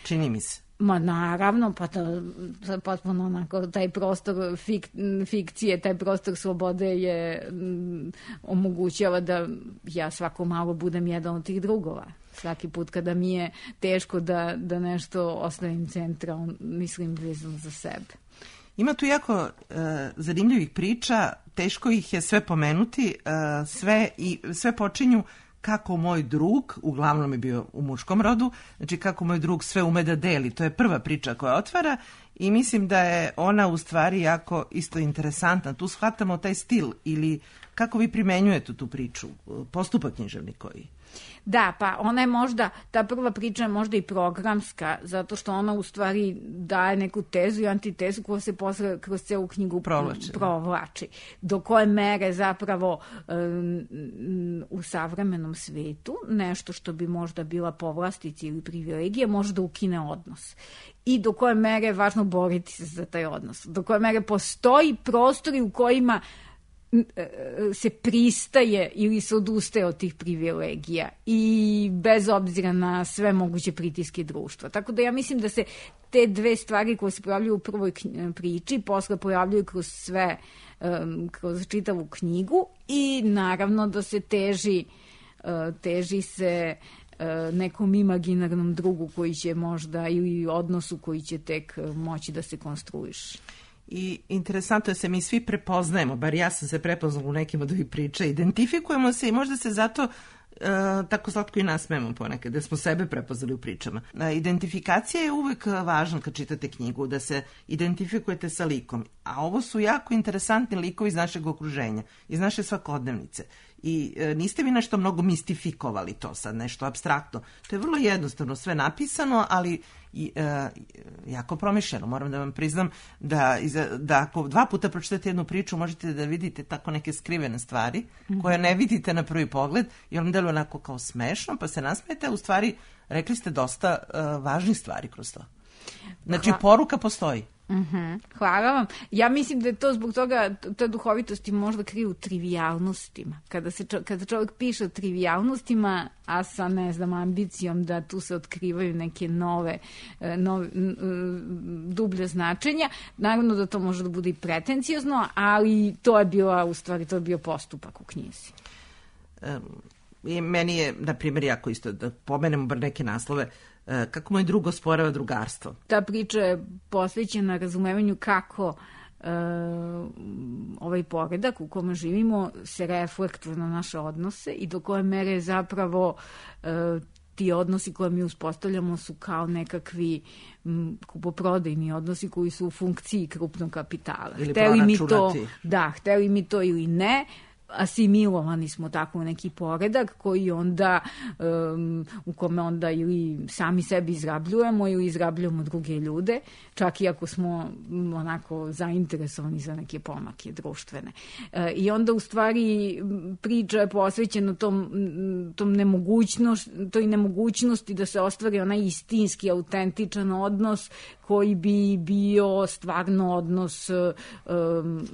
Čini mi se. Ma naravno, pa to, to potpuno onako, taj prostor fik, fikcije, taj prostor slobode je m, omogućava da ja svako malo budem jedan od tih drugova. Svaki put kada mi je teško da, da nešto ostavim centra, mislim vezano za sebe. Ima tu jako e, zanimljivih priča, teško ih je sve pomenuti, e, sve, i, sve počinju kako moj drug, uglavnom je bio u muškom rodu, znači kako moj drug sve ume da deli. To je prva priča koja otvara i mislim da je ona u stvari jako isto interesantna. Tu shvatamo taj stil ili kako vi primenjujete tu priču, postupak književni koji. Da, pa ona je možda, ta prva priča je možda i programska, zato što ona u stvari daje neku tezu i antitezu koja se posle kroz celu knjigu provlači. provlači. Do koje mere zapravo um, u savremenom svetu nešto što bi možda bila povlastica ili privilegija može da ukine odnos. I do koje mere je važno boriti se za taj odnos. Do koje mere postoji prostori u kojima se pristaje ili se odustaje od tih privilegija i bez obzira na sve moguće pritiske društva. Tako da ja mislim da se te dve stvari koje se pojavljuju u prvoj priči posle pojavljuju kroz sve, kroz čitavu knjigu i naravno da se teži, teži se nekom imaginarnom drugu koji će možda ili odnosu koji će tek moći da se konstruiše. I interesantno je da se mi svi prepoznajemo, bar ja sam se prepoznala u nekim od ovih priča, identifikujemo se i možda se zato e, tako slatko i nasmemo ponekad, da smo sebe prepoznali u pričama. E, identifikacija je uvek važna kad čitate knjigu, da se identifikujete sa likom, a ovo su jako interesantni likovi iz našeg okruženja, iz naše svakodnevnice. i e, niste vi nešto mnogo mistifikovali to sad, nešto apstraktno. To je vrlo jednostavno sve napisano, ali i, e, jako promišljeno. Moram da vam priznam da, iza, da ako dva puta pročitate jednu priču, možete da vidite tako neke skrivene stvari mm-hmm. koje ne vidite na prvi pogled i on deluje onako kao smešno, pa se nasmijete, a u stvari rekli ste dosta e, važnih stvari kroz to. Znači, Hva... poruka postoji. Uh-huh. Hvala vam. Ja mislim da je to zbog toga, te duhovitosti možda kriju u trivijalnostima. Kada, se, kada čovjek piše o trivijalnostima, a sa, ne znam, ambicijom da tu se otkrivaju neke nove, nove dublje značenja, naravno da to može da bude i pretencijozno, ali to je bila, u stvari, to je bio postupak u knjizi. Um, i meni je, na primjer, jako isto, da pomenemo bar neke naslove, kako moj drug osporava drugarstvo. Ta priča je posvećena razumevanju kako e, ovaj poredak u kome živimo se reflektuje na naše odnose i do koje mere zapravo e, ti odnosi koje mi uspostavljamo su kao nekakvi m, kupoprodajni odnosi koji su u funkciji krupnog kapitala. Ili hteli mi to, da, hteli mi to ili ne, asimilovani smo tako u neki poredak koji onda um, u kome onda ili sami sebi izrabljujemo ili izrabljujemo druge ljude, čak i ako smo onako zainteresovani za neke pomake društvene. E, I onda u stvari priča je posvećena tom, tom nemogućnost, toj nemogućnosti da se ostvari onaj istinski, autentičan odnos koji bi bio stvarno odnos um,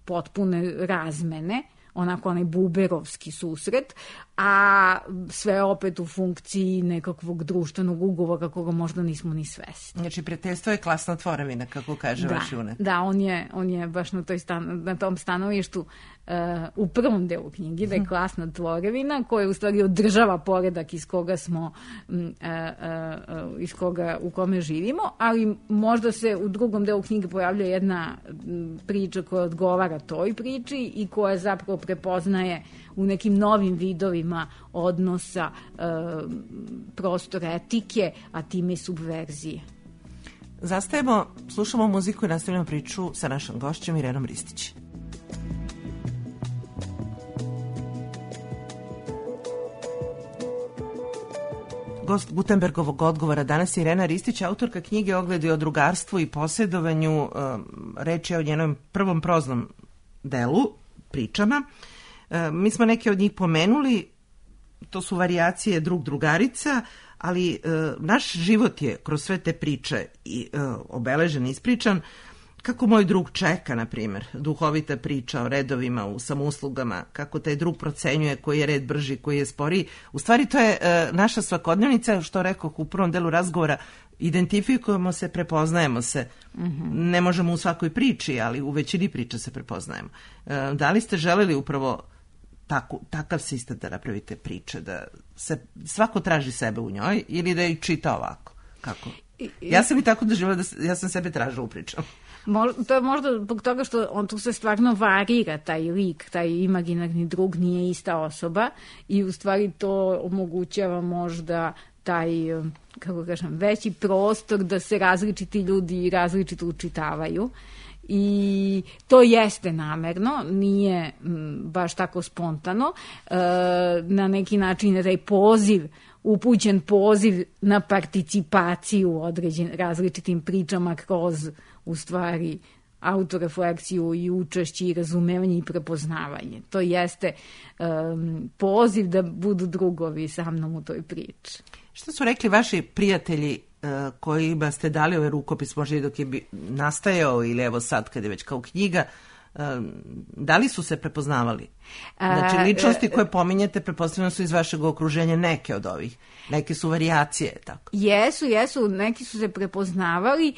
potpune razmene, onako onaj buberovski susret, a sve opet u funkciji nekakvog društvenog ugovora koga možda nismo ni svesni. Znači, prijateljstvo je klasna tvorevina, kako kaže da, vaš junak. Da, on je, on je baš na, toj stan, na tom stanovištu uh, u prvom delu knjigi, da je klasna tvorevina koja u stvari održava poredak iz koga smo, uh, uh, uh, iz koga, u kome živimo, ali možda se u drugom delu knjige pojavlja jedna priča koja odgovara toj priči i koja zapravo prepoznaje u nekim novim vidovima odnosa e, prostora etike, a time i subverzije. Zastajemo, slušamo muziku i nastavljamo priču sa našom gošćom Irenom Ristić. Gost Gutenbergovog odgovora danas je Irena Ristić, autorka knjige Ogledi o drugarstvu i posjedovanju. Reč je o njenom prvom proznom delu, pričama. Mi smo neke od njih pomenuli, to su varijacije drug drugarica, ali e, naš život je kroz sve te priče i e, obeležen, ispričan. Kako moj drug čeka, na primjer, duhovita priča o redovima u samouslugama, kako taj drug procenjuje koji je red brži, koji je sporiji. U stvari to je e, naša svakodnevnica, što rekoh u prvom delu razgovora, identifikujemo se, prepoznajemo se. Mm-hmm. Ne možemo u svakoj priči, ali u većini priča se prepoznajemo. E, da li ste želeli upravo Tako, takav sistem da napravite priče, da se svako traži sebe u njoj ili da ih čita ovako? Kako? Ja sam i tako doživjela da ja sam sebe tražila u pričama. Možda, to je možda zbog toga što on tu se stvarno varira, taj lik, taj imaginarni drug nije ista osoba i u stvari to omogućava možda taj, kako kažem, veći prostor da se različiti ljudi različito učitavaju. I to jeste namerno, nije m, baš tako spontano. E, na neki način je taj poziv, upućen poziv na participaciju određen različitim pričama kroz, u stvari, autorefleksiju i učešće i razumevanje i prepoznavanje. To jeste um, poziv da budu drugovi sa mnom u toj priči. Što su rekli vaši prijatelji kojima ste dali ovaj rukopis, možda i dok je bi nastajao ili evo sad kad je već kao knjiga, da li su se prepoznavali? Znači, ličnosti koje pominjete, pretpostavljeno su iz vašeg okruženja neke od ovih. Neke su varijacije, tako? Jesu, jesu. Neki su se prepoznavali.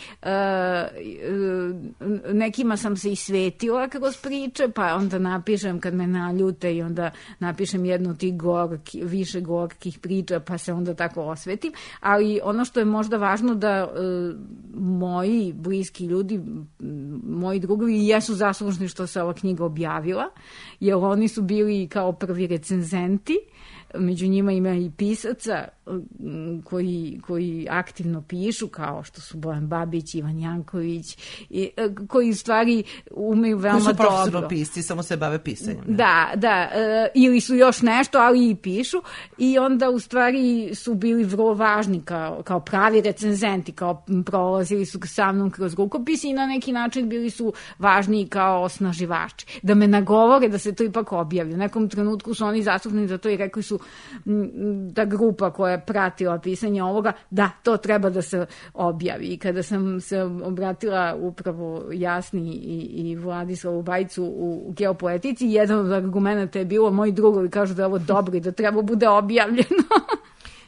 Nekima sam se i svetila kroz priče, pa onda napišem kad me naljute i onda napišem jednu od tih gorki, više gorkih priča, pa se onda tako osvetim. Ali ono što je možda važno da moji bliski ljudi, moji drugovi, jesu zaslužni što se ova knjiga objavila, jer oni su bili kao prvi recenzenti, među njima ima i pisaca koji, koji aktivno pišu, kao što su Bojan Babić, Ivan Janković, i, koji u stvari umeju veoma dobro. Koji su profesionalno pisci, samo se bave pisanjem. Ne? Da, da, ili su još nešto, ali i pišu, i onda u stvari su bili vrlo važni kao, kao pravi recenzenti, kao prolazili su sa mnom kroz rukopisi i na neki način bili su važni kao osnaživači. Da me nagovore da se to ipak objavi. U nekom trenutku su oni zastupni za to i rekli su da grupa koja je pratila pisanje ovoga, da, to treba da se objavi. I kada sam se obratila upravo Jasni i, i Vladislavu Bajcu u, u Geopoetici, jedan od argumenta je bilo, moji drugovi kažu da je ovo dobro i da treba bude objavljeno.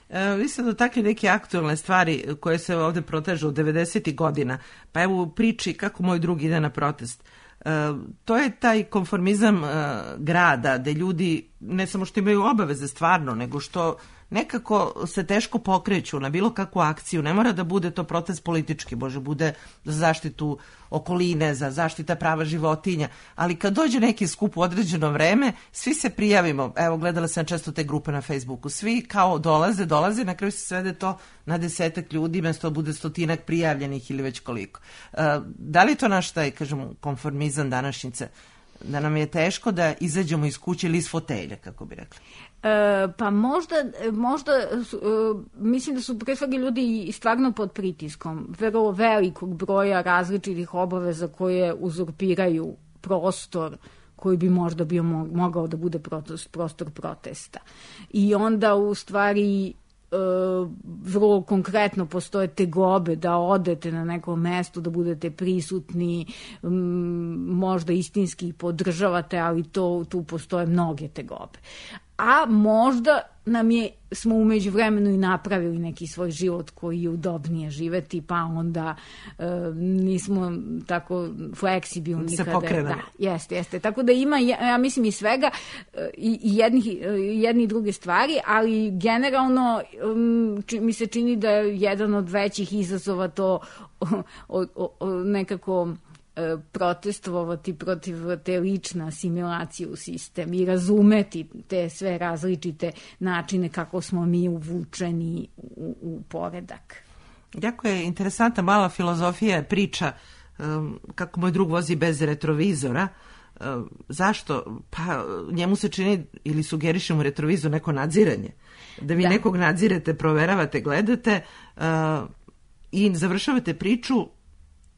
E, vi ste dotakli neke aktualne stvari koje se ovde protežu od devedesetih godina, pa evo u priči kako moj drug ide na protest. E, to je taj konformizam e, grada, gde ljudi ne samo što imaju obaveze stvarno, nego što nekako se teško pokreću na bilo kakvu akciju. Ne mora da bude to protest politički, može bude za zaštitu okoline, za zaštita prava životinja, ali kad dođe neki skup u određeno vreme, svi se prijavimo. Evo, gledala sam često te grupe na Facebooku, svi kao dolaze, dolaze, na kraju se svede to na desetak ljudi, mesto bude stotinak prijavljenih ili već koliko. E, da li je to naš taj, kažemo, konformizam današnjice, da nam je teško da izađemo iz kuće ili iz fotelja, kako bi rekli? E, pa možda, možda su, e, mislim da su pre svega ljudi stvarno pod pritiskom vrlo velikog broja različitih obaveza koje uzurpiraju prostor koji bi možda bio mogao da bude prostor protesta. I onda u stvari vrlo konkretno postoje tegobe da odete na neko mesto, da budete prisutni, možda istinski podržavate, ali to, tu postoje mnoge tegobe. A možda nam je, smo umeđu vremenu i napravili neki svoj život koji je udobnije živeti, pa onda e, nismo tako fleksibilni. Se pokrene. Da, jeste, jeste. Tako da ima, ja mislim, i svega, i, i jednih, jedni i druge stvari, ali generalno či, mi se čini da je jedan od većih izazova to o, o, o, nekako protestovati protiv te lične asimilacije u sistem i razumeti te sve različite načine kako smo mi uvučeni u, u poredak. Jako je interesantna mala filozofija priča um, kako moj drug vozi bez retrovizora. Um, zašto? Pa njemu se čini ili sugeriše mu retrovizor neko nadziranje. Da vi da. nekog nadzirete, proveravate, gledate uh, i završavate priču.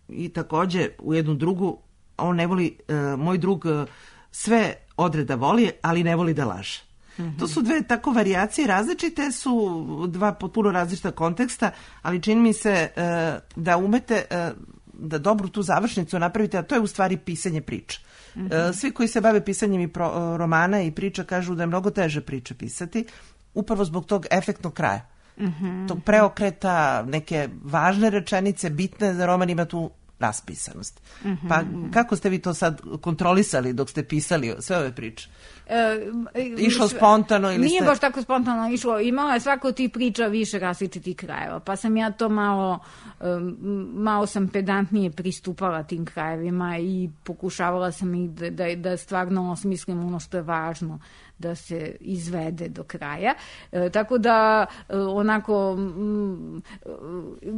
I takođe u jednu drugu, on ne voli, uh, moj drug uh, sve odreda voli, ali ne voli da laže. Mm-hmm. To su dve tako varijacije, različite su, dva potpuno različita konteksta, ali čini mi se uh, da umete uh, da dobru tu završnicu napravite, a to je u stvari pisanje priča. Mm-hmm. Uh, svi koji se bave pisanjem i pro, uh, romana i priča kažu da je mnogo teže priče pisati, upravo zbog tog efektnog kraja. Mm-hmm. Tog preokreta, neke važne rečenice, bitne za roman, ima tu raspisanost. Mm-hmm. Pa kako ste vi to sad kontrolisali dok ste pisali sve ove priče? E, išlo spontano ili nije ste... baš tako spontano išlo. Imala je svako ti priča više različitih krajeva, pa sam ja to malo malo sam pedantnije pristupala tim krajevima i pokušavala sam ih da, da, da stvarno osmislim ono što je važno da se izvede do kraja. E, tako da onako m,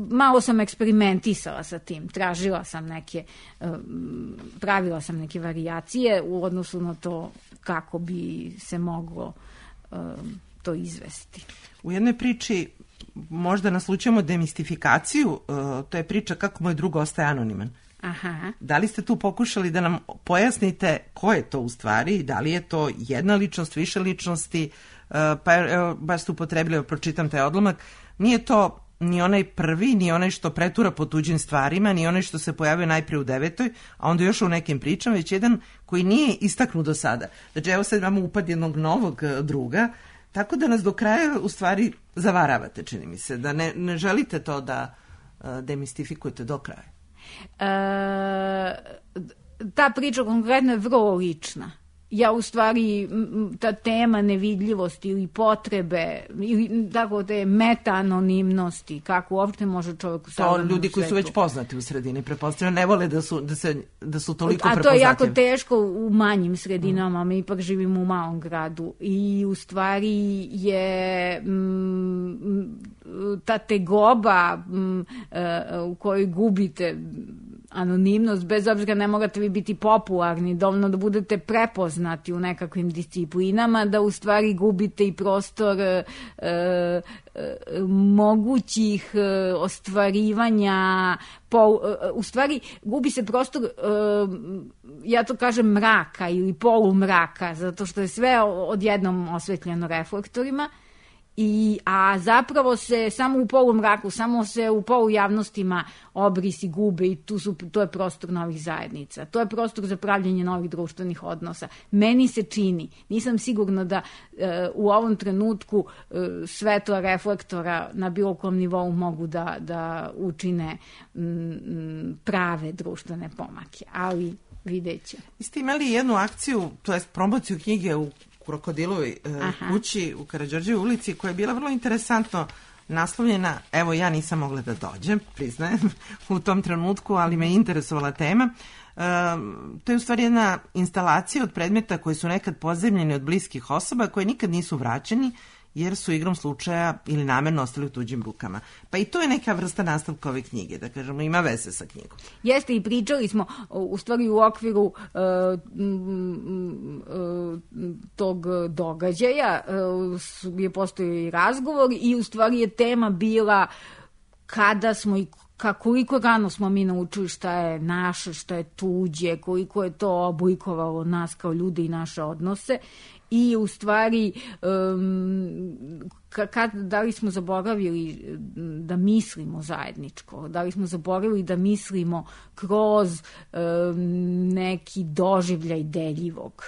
malo sam eksperimentisala sa tim. Tražila sam neke, pravila sam neke varijacije u odnosu na to kako bi se moglo um, to izvesti. U jednoj priči možda naslučujemo demistifikaciju, uh, to je priča kako moj drug ostaje anoniman. Aha. Da li ste tu pokušali da nam pojasnite ko je to u stvari, da li je to jedna ličnost, više ličnosti, uh, pa evo, baš ste upotrebili, pročitam taj odlomak, nije to ni onaj prvi, ni onaj što pretura po tuđim stvarima, ni onaj što se pojavio najprije u devetoj, a onda još u nekim pričama, već jedan koji nije istaknut do sada. Znači, evo sad imamo upad jednog novog druga, tako da nas do kraja u stvari zavaravate, čini mi se, da ne, ne želite to da uh, demistifikujete do kraja. E, ta priča konkretno je vrlo lična. ja u stvari ta tema nevidljivosti ili potrebe ili tako te meta-anonimnosti, kako uopšte može čovjek u savremenom svetu. To ljudi koji su već poznati u sredini, pretpostavljam, ne vole da su, da se, da su toliko prepoznatljivi. A to je jako teško u manjim sredinama, mi ipak živimo u malom gradu i u stvari je m, ta tegoba m, u kojoj gubite anonimnost, bez obzira ne morate vi biti popularni, dovoljno da budete prepoznati u nekakvim disciplinama, da u stvari gubite i prostor e, e, mogućih e, ostvarivanja, pol, e, u stvari gubi se prostor, e, ja to kažem mraka ili polumraka, zato što je sve odjednom osvetljeno reflektorima. I, a zapravo se samo u polumraku, samo se u polujavnostima obrisi gube i tu su, to je prostor novih zajednica. To je prostor za pravljenje novih društvenih odnosa. Meni se čini, nisam sigurna da e, u ovom trenutku e, svetla reflektora na bilo kom nivou mogu da, da učine m, prave društvene pomake, ali vidjet će. Vi ste imali jednu akciju, to jest promociju knjige u Krokodilovoj uh, kući u Karađorđevoj ulici, koja je bila vrlo interesantno naslovljena. Evo, ja nisam mogla da dođem, priznajem, u tom trenutku, ali me interesovala tema. Uh, to je u stvari jedna instalacija od predmeta koji su nekad pozemljeni od bliskih osoba, koje nikad nisu vraćeni, jer su igrom slučaja ili namerno ostali u tuđim rukama. Pa i to je neka vrsta nastavka ove knjige, da kažemo, ima veze sa knjigom. Jeste, i pričali smo u stvari u okviru uh, uh, tog događaja, uh, je postojao i razgovor i u stvari je tema bila kada smo i koliko rano smo mi naučili šta je naše, šta je tuđe, koliko je to oblikovalo nas kao ljudi i naše odnose. I u stvari, um, kad, da li smo zaboravili da mislimo zajedničko, da li smo zaboravili da mislimo kroz um, neki doživljaj deljivog.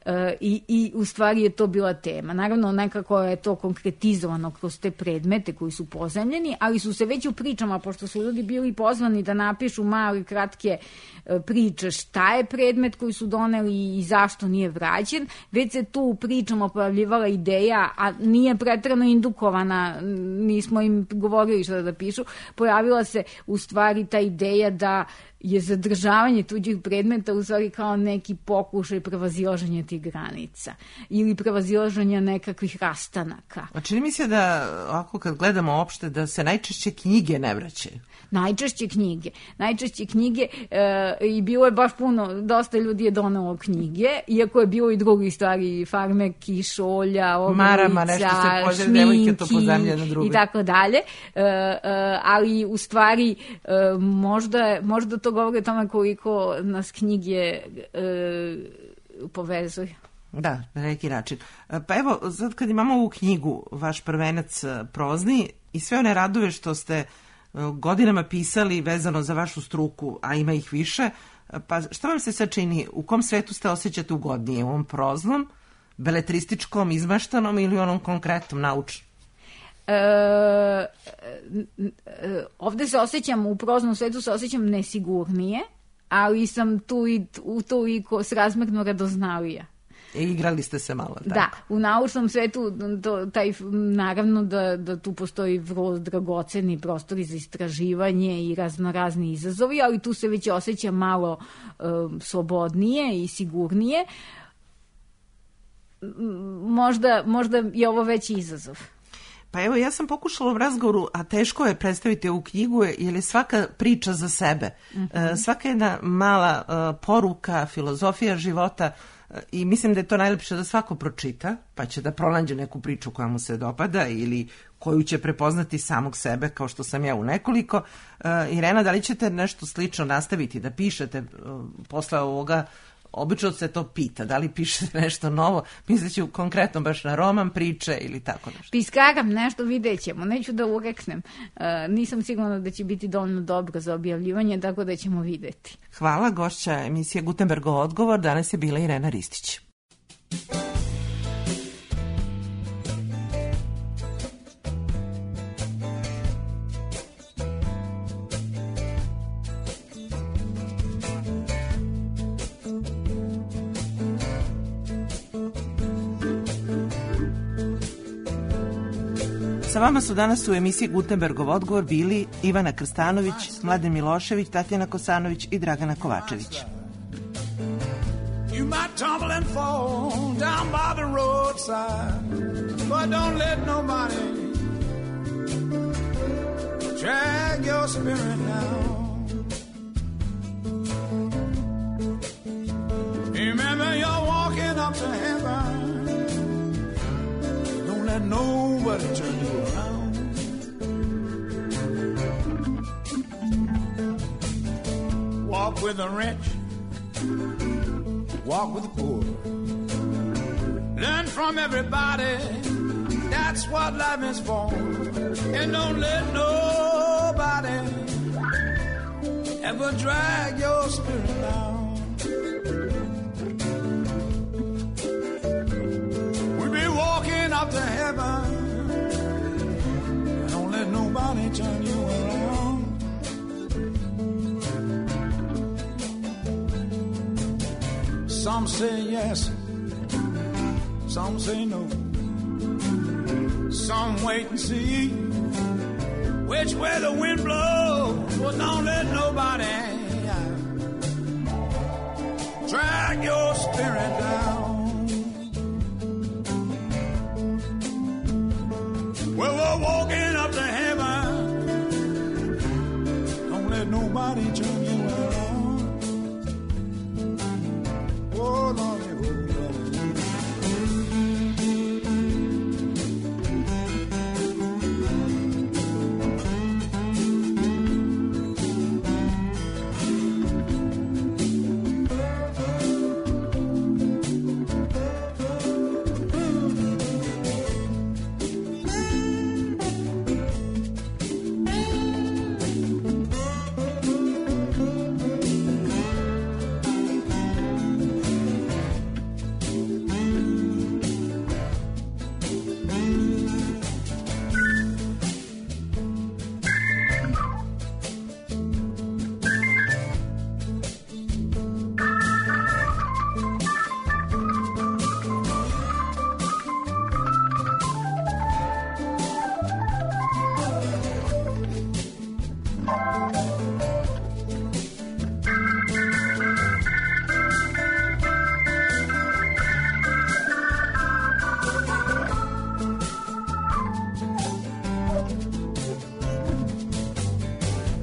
Uh, i, i u stvari je to bila tema. Naravno, nekako je to konkretizovano kroz te predmete koji su pozemljeni, ali su se već u pričama, pošto su ljudi bili pozvani da napišu male, kratke uh, priče šta je predmet koji su doneli i zašto nije vraćen, već se tu u pričama pojavljivala ideja, a nije preterano indukovana, nismo im govorili šta da pišu, pojavila se u stvari ta ideja da je zadržavanje tuđih predmeta u stvari kao neki pokušaj prevazilaženja tih granica ili prevazilaženja nekakvih rastanaka. A čini mi se da, ako kad gledamo opšte, da se najčešće knjige ne vraćaju. Najčešće knjige. Najčešće knjige e, i bilo je baš puno, dosta ljudi je donelo knjige, iako je bilo i drugih stvari, farmerki, šolja, oblica, šminki i tako dalje. E, e, ali u stvari e, možda, možda to govori o tome koliko nas knjige e, povezuju. Da, na neki način. Pa evo, sad kad imamo ovu knjigu, vaš prvenac prozni i sve one radove što ste godinama pisali vezano za vašu struku, a ima ih više, pa šta vam se sad čini? U kom svetu ste osjećate ugodnije? U ovom proznom, beletrističkom, izmaštanom ili onom konkretnom, naučnom? E, ovde se osjećam, u proznom svetu se osjećam nesigurnije, ali sam tu i, u to i srazmerno radoznalija. E, igrali ste se malo, tako? Da, u naučnom svetu to, taj, naravno da, da tu postoji vrlo dragoceni prostori za istraživanje i raznorazni izazovi, ali tu se već osjeća malo um, slobodnije i sigurnije. Možda, možda je ovo veći izazov. Pa evo, ja sam pokušala u razgovoru, a teško je predstaviti ovu knjigu, jer je svaka priča za sebe. Mm-hmm. Svaka jedna mala uh, poruka, filozofija života, uh, i mislim da je to najlepše da svako pročita, pa će da pronađe neku priču koja mu se dopada ili koju će prepoznati samog sebe, kao što sam ja u nekoliko. Uh, Irena, da li ćete nešto slično nastaviti da pišete uh, posle ovoga? Obično se to pita, da li pišete nešto novo, misleći konkretno baš na roman, priče ili tako nešto. Piskaram nešto, vidjet ćemo, neću da ureknem. Uh, nisam sigurna da će biti dovoljno dobro za objavljivanje, tako da ćemo videti. Hvala, gošća emisije Gutenbergov odgovor, danas je bila Irena Ristić. Sa vama su danas u emisiji Gutenbergov odgovor bili Ivana Krstanović, Mladen Milošević, Tatjana Kosanović i Dragana Kovačević. You might tumble and fall down by the roadside, but don't let nobody drag your spirit down. Remember you're walking up to heaven. Don't let nobody turn you around. Walk with the rich, walk with the poor. Learn from everybody, that's what life is for. And don't let nobody ever drag your spirit down. We'll be walking up to heaven, and don't let nobody turn you around. Some say yes, some say no. Some wait and see which way the wind blows. Well, don't let nobody drag your spirit down. Well, we're walking up to heaven. Don't let nobody turn you around. Oh, Lord.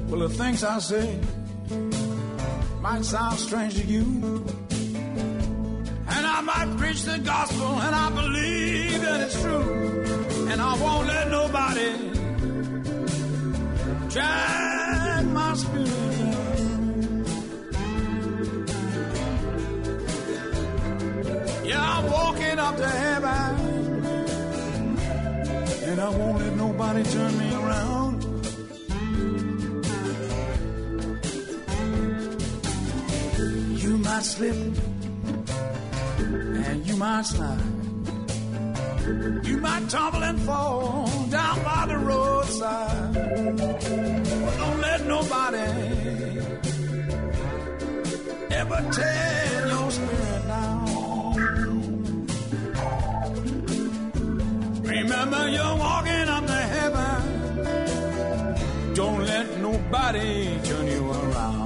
Well, the things I say might sound strange to you, and I might preach the gospel, and I believe that it's true, and I won't let nobody drag my spirit down. Yeah, I'm walking up to heaven, and I won't let nobody turn me around. You might slip and you might slide. You might tumble and fall down by the roadside. But don't let nobody ever tear your spirit down. Remember you're walking up to heaven. Don't let nobody turn you around.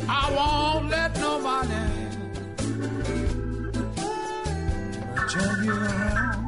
I won't let nobody turn you around.